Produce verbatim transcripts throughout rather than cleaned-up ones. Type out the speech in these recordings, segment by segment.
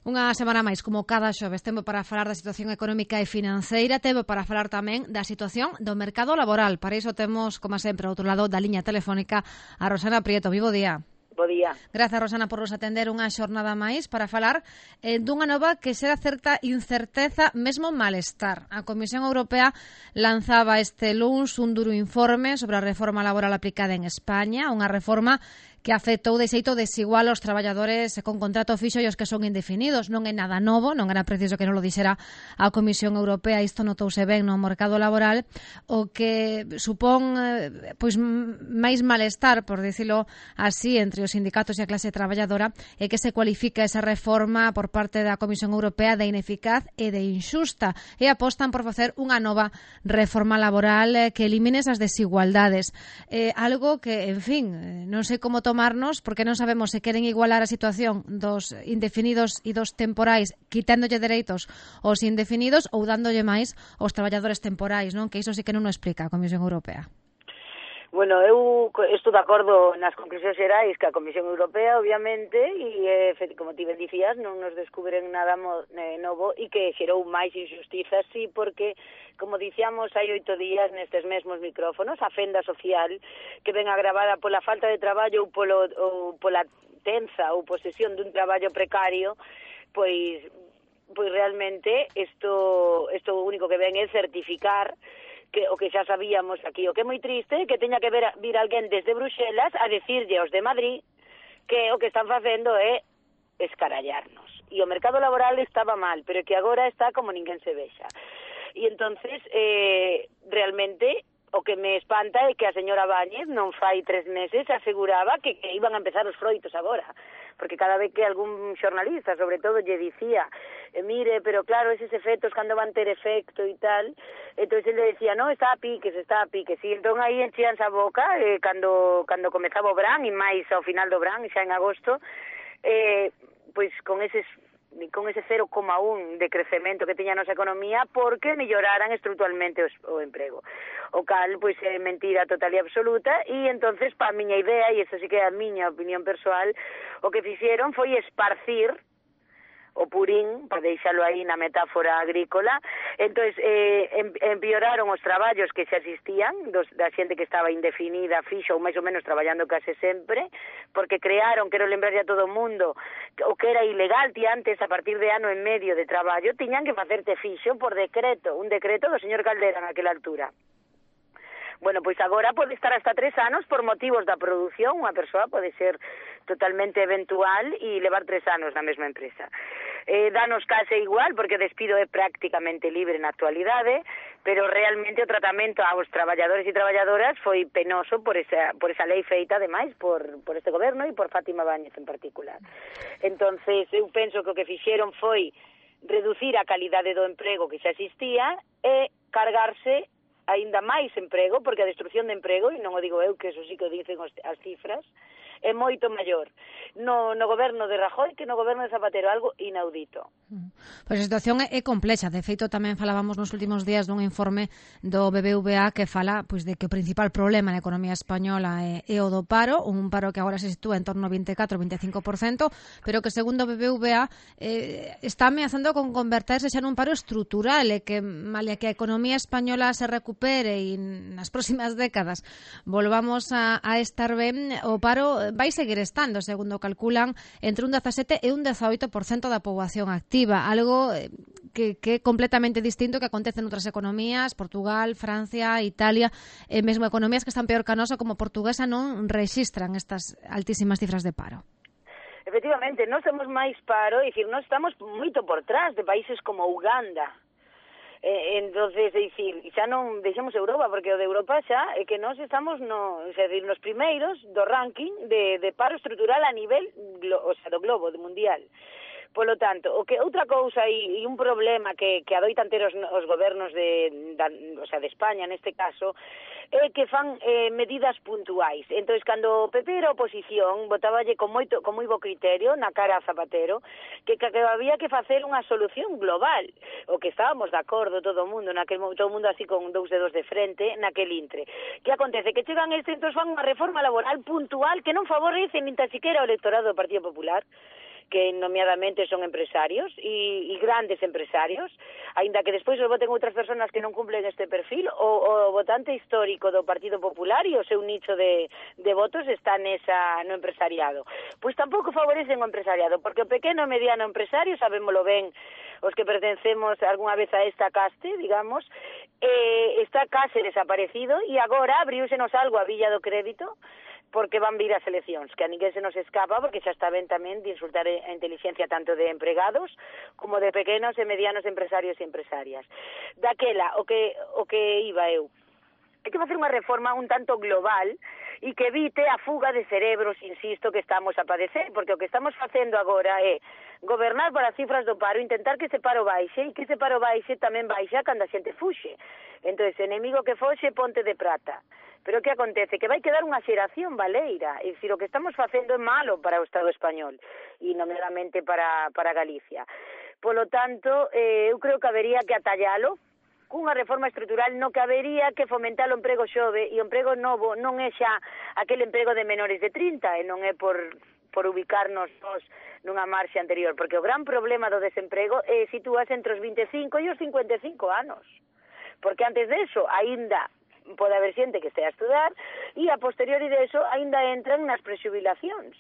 Unha semana máis, como cada xoves, tempo para falar da situación económica e financeira, tempo para falar tamén da situación do mercado laboral. Para iso temos, como sempre, ao outro lado da liña telefónica, a Rosana Prieto. Vivo día. Bo día. Grazas, Rosana, por nos atender unha xornada máis para falar eh, dunha nova que será certa incerteza, mesmo malestar. A Comisión Europea lanzaba este luns un duro informe sobre a reforma laboral aplicada en España, unha reforma que afectou de xeito desigual aos traballadores con contrato fixo e os que son indefinidos. Non é nada novo, non era preciso que non lo dixera a Comisión Europea, isto notouse ben no mercado laboral, o que supón eh, pois máis malestar, por dicilo así, entre os sindicatos e a clase traballadora, é que se cualifica esa reforma por parte da Comisión Europea de ineficaz e de injusta, e apostan por facer unha nova reforma laboral eh, que elimine esas desigualdades. Eh, algo que, en fin, non sei como tomarnos, porque non sabemos se queren igualar a situación dos indefinidos e dos temporais, quitándolle dereitos aos indefinidos ou dándolle máis aos traballadores temporais, non? Que iso sí que non o explica a Comisión Europea. Bueno, eu estou de acordo nas conclusións xerais que a Comisión Europea, obviamente, e, como ti ben dicías, non nos descubren nada novo e que xerou máis injustizas, sí, porque, como dicíamos hai oito días nestes mesmos micrófonos, a fenda social que ven agravada pola falta de traballo ou, polo, ou pola tenza ou posesión dun traballo precario, pois, pois realmente isto, isto o único que ven é certificar que o que xa sabíamos aquí, o que é moi triste, que teña que ver, vir alguén desde Bruxelas a decirlle aos de Madrid que o que están facendo é escarallarnos. E o mercado laboral estaba mal, pero que agora está como ninguén se vexa. E entonces, eh, realmente, o que me espanta é que a señora Báñez non fai tres meses aseguraba que, que iban a empezar os froitos agora, porque cada vez que algún xornalista, sobre todo, lle dicía eh, mire, pero claro, eses efectos cando van ter efecto e tal, entón ele decía, no, está a piques, está a piques, e entón aí enchíanse a boca eh, cando, cando comezaba o verán, e máis ao final do verán, xa en agosto, eh, pois con eses con ese cero coma un de crecemento que tiña a nosa economía porque melloraran estructuralmente os, o emprego. O cal, pois, é mentira total e absoluta, e entonces, pa a miña idea, e isto sí que é a miña opinión persoal, o que fixeron foi esparcir o purín, para deixalo aí na metáfora agrícola. Entón, eh, empeoraron os traballos que xa existían, dos, da xente que estaba indefinida, fixo ou máis ou menos traballando case sempre, porque crearon, quero lembrarlle a todo o mundo, o que era ilegal ti antes, a partir de ano e medio de traballo, tiñan que facerte fixo por decreto, un decreto do señor Caldera naquela altura. Bueno, pois agora pode estar hasta tres anos por motivos da produción, unha persoa pode ser totalmente eventual e levar tres anos na mesma empresa. Eh, danos case igual, porque o despido é prácticamente libre na actualidade, pero realmente o tratamento aos traballadores e traballadoras foi penoso por esa, por esa lei feita, ademais, por, por este goberno e por Fátima Báñez en particular. Entonces, eu penso que o que fixeron foi reducir a calidade do emprego que xa existía e cargarse aínda máis emprego, porque a destrucción de emprego, e non o digo eu, que eso sí que o dicen as cifras, é moito maior no, no goberno de Rajoy que no goberno de Zapatero, algo inaudito. Pois a situación é complexa. De feito, tamén falábamos nos últimos días dun informe do B B V A que fala pois de que o principal problema na economía española é, é o do paro, un paro que agora se sitúa en torno ao vinte e catro a vinte e cinco por cento, pero que segundo o B B V A eh, está ameazando con converterse xa nun paro estrutural, e que malia que a economía española se recupere e nas próximas décadas volvamos a, a estar ben, o paro vai seguir estando, segundo calculan, entre un dezasete e un dezaoito por cento da poboación activa, algo que, que é completamente distinto que acontece en outras economías, Portugal, Francia, Italia, e mesmo economías que están peor que a nosa, como portuguesa, non rexistran estas altísimas cifras de paro. Efectivamente, nós temos máis paro, é dicir, nós estamos moito por trás de países como Uganda. Eh, entonces, é dicir, xa non deixamos Europa, porque o de Europa xa é que nós estamos no, é dicir, nos primeiros do ranking de, de paro estrutural a nivel, o sea, do globo, do mundial. Polo tanto, o que outra cousa e, e un problema que, que adoitan ter os, os gobernos de, da, o sea, de España neste caso, é que fan eh, medidas puntuais. Entón, cando o P P era oposición, botáballe con moito con moi bo criterio na cara a Zapatero que, que, que había que facer unha solución global, o que estábamos de acordo todo o mundo, naquel, todo o mundo así con dous dedos de frente, naquel intre. Que acontece? Que chegan estes, entón fan unha reforma laboral puntual que non favorece nin tan siquiera o electorado do Partido Popular, que nomeadamente son empresarios e, e grandes empresarios, aínda que despois os voten outras persoas que non cumplen este perfil, o, o votante histórico do Partido Popular e o seu nicho de, de votos está nesa, no empresariado. Pois tampouco favorecen o empresariado, porque o pequeno e mediano empresario, sabémolo ben, os que pertencemos algunha vez a esta caste, digamos, eh, está case desaparecido e agora abriúsenos algo a Villa do Crédito, porque van vir as eleccións, que a ninguén se nos escapa, porque xa está ben tamén de insultar a inteligencia tanto de empregados como de pequenos e medianos empresarios e empresarias. Daquela, o que, o que iba eu, hai que facer unha reforma un tanto global e que evite a fuga de cerebros, insisto, que estamos a padecer, porque o que estamos facendo agora é gobernar para as cifras do paro, intentar que ese paro baixe e que ese paro baixe tamén baixa cando a xente fuxe. Entón, enemigo que foxe, ponte de prata. Pero que acontece? Que vai quedar unha xeración baleira, é dicir, o que estamos facendo é malo para o Estado español e nomeadamente para, para Galicia. Polo tanto, eh, eu creo que habería que atallalo cunha reforma estrutural no que habería que fomentar o emprego xove e o emprego novo non é xa aquele emprego de menores de trinta e non é por, por ubicarnos nós nunha marxe anterior, porque o gran problema do desemprego é situarse entre os vinte e cinco e os cincuenta e cinco anos, porque antes de eso aínda pode haber xente que estea a estudar e a posteriori de eso aínda entran nas prexubilacións.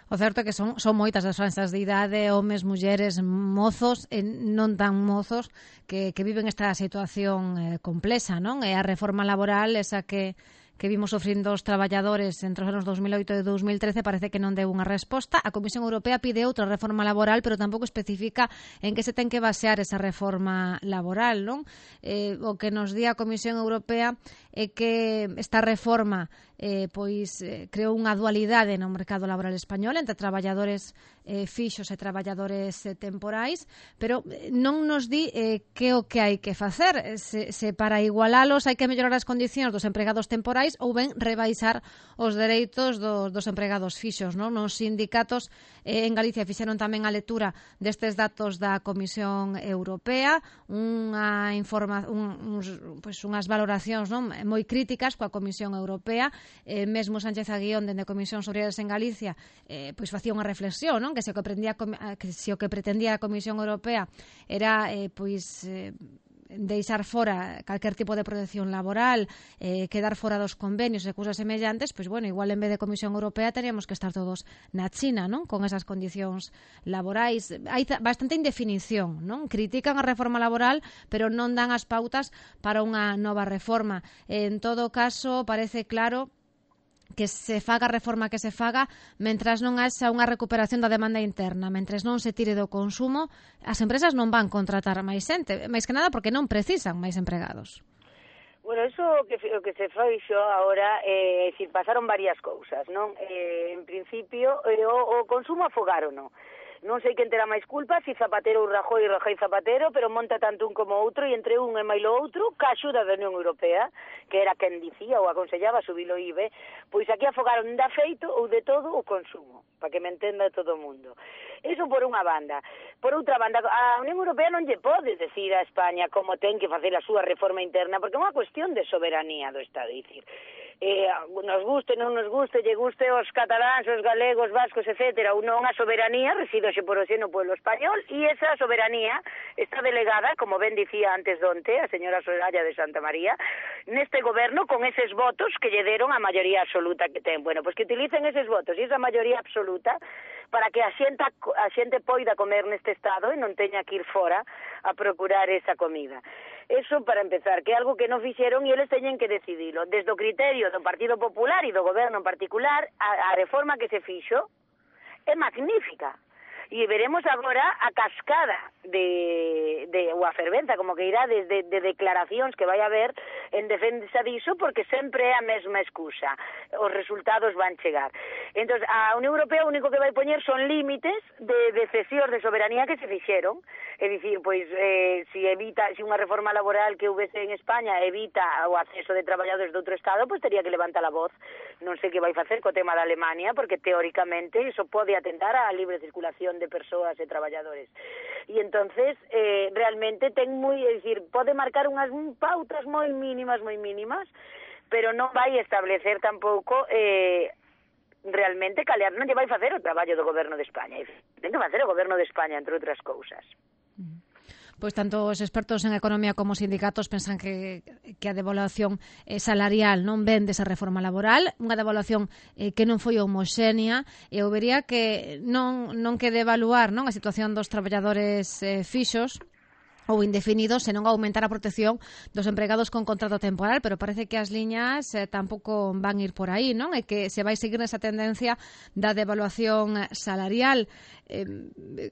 O certo é que son, son moitas as franxas de idade, homes, mulleres, mozos e non tan mozos que, que viven esta situación eh, complexa, non? E a reforma laboral, esa que, que vimos sofrindo os traballadores entre os anos dos mil oito e dos mil trece, parece que non deu unha resposta. A Comisión Europea pide outra reforma laboral, pero tampouco especifica en que se ten que basear esa reforma laboral, non? Eh, o que nos di a Comisión Europea é que esta reforma eh, pois eh, creou unha dualidade no mercado laboral español entre traballadores eh, fixos e traballadores eh, temporais, pero non nos di eh, que o que hai que facer, se, se para igualalos hai que mellorar as condicións dos empregados temporais ou ben rebaixar os dereitos dos, dos empregados fixos, non? Nos sindicatos eh, en Galicia fixeron tamén a lectura destes datos da Comisión Europea, unha informa, un, uns, pois unhas valoracións, non, moi críticas coa Comisión Europea. Eh, mesmo Sánchez Aguión, dende Comisións Obreiras en Galicia, eh, pois facía unha reflexión, non? Que se o que, pretendía, que se o que pretendía a Comisión Europea era eh, pois eh, deixar fora calquer tipo de protección laboral, eh, quedar fora dos convenios e cousas semellantes, pois bueno, igual en vez de Comisión Europea teríamos que estar todos na China, non? Con esas condicións laborais. Hai bastante indefinición, non? Critican a reforma laboral, pero non dan as pautas para unha nova reforma. En todo caso, parece claro que se faga a reforma que se faga, mentras non haxa unha recuperación da demanda interna, mentras non se tire do consumo, as empresas non van contratar máis xente, máis que nada porque non precisan máis empregados. Bueno, eso o que, o que se fixo agora, eh, si pasaron varias cousas, non? Eh, en principio, eh, o, o consumo afogarono. Non sei quen terá máis culpa, si Zapatero ou Rajoy, Rajoy Zapatero, pero monta tanto un como outro, e entre un e mailo outro, ca axuda da Unión Europea, que era quen dicía ou aconsellaba subir o I B E, pois aquí afogaron da feito ou de todo o consumo, para que me entenda todo o mundo. Eso por unha banda. Por outra banda, a Unión Europea non lle pode decir a España como ten que facer a súa reforma interna, porque é unha cuestión de soberanía do Estado, dicir, eh, nos guste, non nos guste, lle guste os cataláns, os galegos, vascos, etcétera, ou non a soberanía reside hoxe por hoxe no pueblo español, e esa soberanía está delegada, como ben dicía antes donte a señora Soraya de Santa María, neste goberno con eses votos que lle deron a maioría absoluta que ten. Bueno, pois que utilicen eses votos e esa maioría absoluta para que a xente, a xente poida comer neste estado e non teña que ir fora a procurar esa comida. Eso para empezar, que é algo que non fixeron e eles teñen que decidilo. Desde o criterio do Partido Popular e do goberno en particular, a, a reforma que se fixo é magnífica. E veremos agora a cascada de, de ou a ferventa, como que irá desde de declaracións que vai haber en defensa diso, porque sempre é a mesma excusa. Os resultados van chegar. Entón, a Unión Europea o único que vai poñer son límites de, de cesións de soberanía que se fixeron. É dicir, pois, eh, si evita, si unha reforma laboral que houvese en España evita o acceso de traballadores de outro estado, pois teria que levantar a voz. Non sei que vai facer co tema da Alemania, porque teóricamente iso pode atentar á libre circulación de persoas e traballadores. E entonces, eh, realmente ten moi, é dicir, pode marcar unhas pautas moi mínimas, moi mínimas, pero non vai establecer tampouco eh, realmente calear non lle vai facer o traballo do goberno de España. Ten que facer o goberno de España, entre outras cousas. Pois tanto os expertos en economía como os sindicatos pensan que, que a devaluación eh, salarial non ven desa reforma laboral, unha devaluación eh, que non foi homoxénea, e eu vería que non, non que devaluar non a situación dos traballadores eh, fixos ou indefinidos, senón aumentar a protección dos empregados con contrato temporal, pero parece que as liñas eh, tampouco van ir por aí, non? E que se vai seguir nesa tendencia da devaluación salarial. Eh,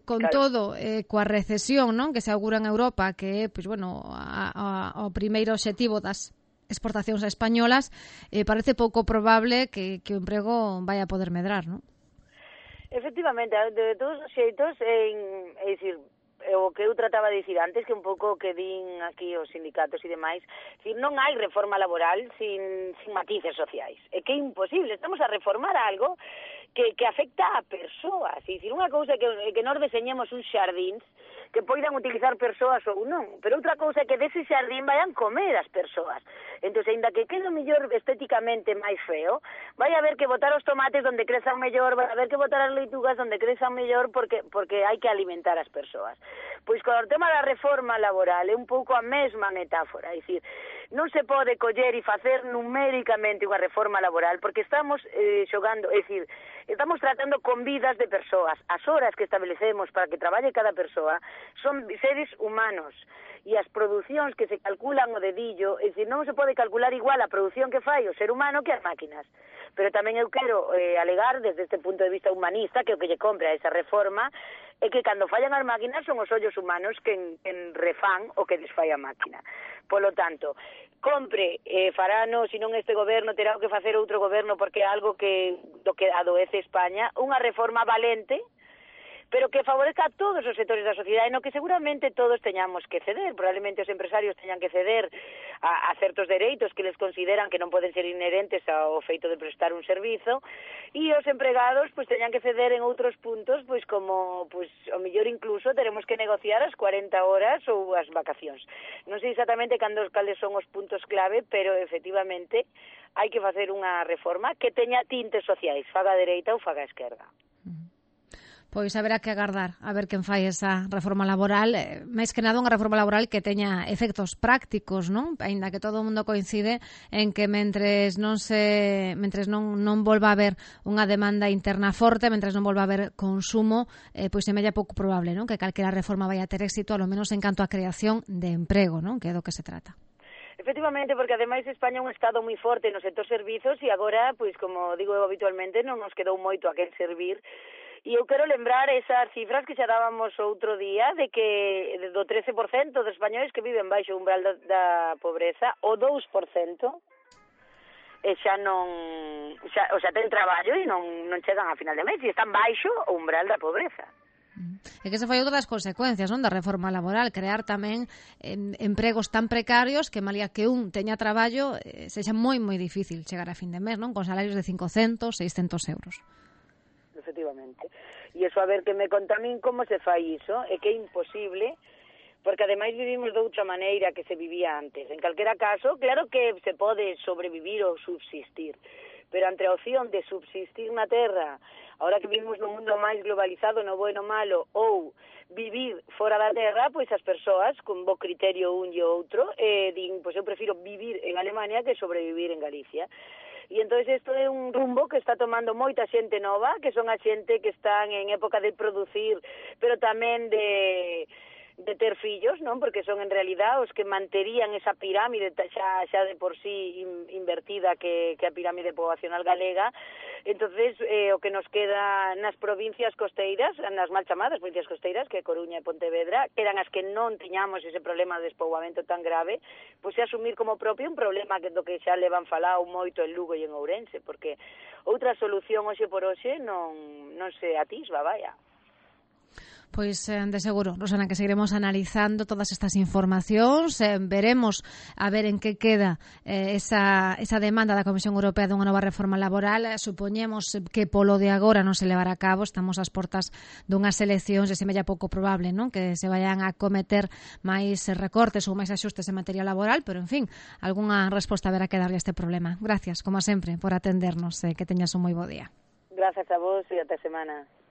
con claro. todo, eh, coa recesión, non? Que se augura en Europa, que é, pois, bueno, a, a, o primeiro obxectivo das exportacións españolas, eh, parece pouco probable que, que o emprego vai a poder medrar, non? Efectivamente, de todos os xeitos, en, é dicir, o que eu trataba de dicir antes, que un pouco que din aquí os sindicatos e demais, decir, non hai reforma laboral sin, sin matices sociais. É que é imposible, estamos a reformar algo que, que afecta a persoas. É dicir, unha cousa é que, que nós deseñemos uns xardíns que poidan utilizar persoas ou non, pero outra cousa é que dese xardín vayan comer as persoas. Entón, ainda que quede mellor estéticamente máis feo, vai haber que botar os tomates onde crezan mellor, vai haber que botar as leitugas onde crezan mellor, porque porque hai que alimentar as persoas. Pois con o tema da reforma laboral é un pouco a mesma metáfora, é dicir, non se pode coller e facer numéricamente unha reforma laboral, porque estamos eh, xogando, é dicir, estamos tratando con vidas de persoas. As horas que establecemos para que traballe cada persoa son seres humanos, e as producións que se calculan o dedillo, é dicir, non se pode calcular igual a produción que fai o ser humano que as máquinas. Pero tamén eu quero eh, alegar, desde este punto de vista humanista, que o que lle compre a esa reforma é que cando fallan as máquinas son os ollos humanos que en, en refán o que desfai a máquina. Polo tanto, compre, eh, farano, se non este goberno terá que facer outro goberno, porque é algo que do que adoece España, unha reforma valente, pero que favorezca a todos os sectores da sociedade, no que seguramente todos teñamos que ceder. Probablemente os empresarios teñan que ceder a, a certos dereitos que les consideran que non poden ser inherentes ao feito de prestar un servizo, e os empregados pois teñan que ceder en outros puntos, pois como pois o mellor incluso teremos que negociar as cuarenta horas ou as vacacións. Non sei exactamente cando cales son os puntos clave, pero efectivamente hai que facer unha reforma que teña tintes sociais, faga a dereita ou faga a esquerda. Pois haberá que agardar a ver quen fai esa reforma laboral, eh, máis que nada unha reforma laboral que teña efectos prácticos, non? Aínda que todo o mundo coincide en que mentres non se mentres non non volva a haber unha demanda interna forte, mentres non volva a haber consumo, eh, pois semella pouco probable, non? Que calquera reforma vai a ter éxito, a lo menos en canto a creación de emprego, non? Que é do que se trata. Efectivamente, porque ademais España é un estado moi forte no sector servizos, e agora, pois como digo eu habitualmente, non nos quedou moito a quen servir. E eu quero lembrar esas cifras que xa dábamos outro día, de que do trece por cento dos españoles que viven baixo o umbral da, da pobreza, o dous por cento e xa non, xa, o xa ten traballo e non, non chegan a final de mes, e están baixo o umbral da pobreza. É que se foi outra das consecuencias, non, da reforma laboral, crear tamén en, empregos tan precarios que malía que un teña traballo, eh, sexa moi moi difícil chegar a fin de mes, non, con salarios de cincocentos, seiscentos euros. Efectivamente. E iso, a ver, que me conta a min como se fai iso, é que é imposible, porque ademais vivimos de outra maneira que se vivía antes. En calquera caso, claro que se pode sobrevivir ou subsistir, pero ante a opción de subsistir na terra, ahora que vivimos nun mundo máis globalizado, no bo e no malo, ou vivir fora da terra, pois as persoas, con bo criterio un e outro, eh, din, pois eu prefiro vivir en Alemania que sobrevivir en Galicia. E entón isto é un rumbo que está tomando moita xente nova, que son a xente que están en época de producir, pero tamén de de ter fillos, non? Porque son en realidad os que manterían esa pirámide xa, xa de por sí in, invertida que, que a pirámide poblacional galega. Entonces, eh, o que nos queda nas provincias costeiras, nas mal chamadas provincias costeiras, que é Coruña e Pontevedra, que eran as que non tiñamos ese problema de despoboamento tan grave, pois é asumir como propio un problema que do que xa levan falado moito en Lugo e en Ourense, porque outra solución hoxe por hoxe non, non se atisba, vaya. Pois, eh, de seguro, Rosana, que seguiremos analizando todas estas informacións, eh, veremos a ver en que queda eh, esa, esa demanda da Comisión Europea dunha nova reforma laboral. Eh, supoñemos que polo de agora non se levará a cabo, estamos ás portas dunhas eleccións e semella pouco probable, non, que se vayan a cometer máis recortes ou máis axustes en materia laboral, pero, en fin, algunha resposta haberá que darlle a este problema. Gracias, como sempre, por atendernos, eh, que teñas un moi bo día. Grazas a vos e até semana.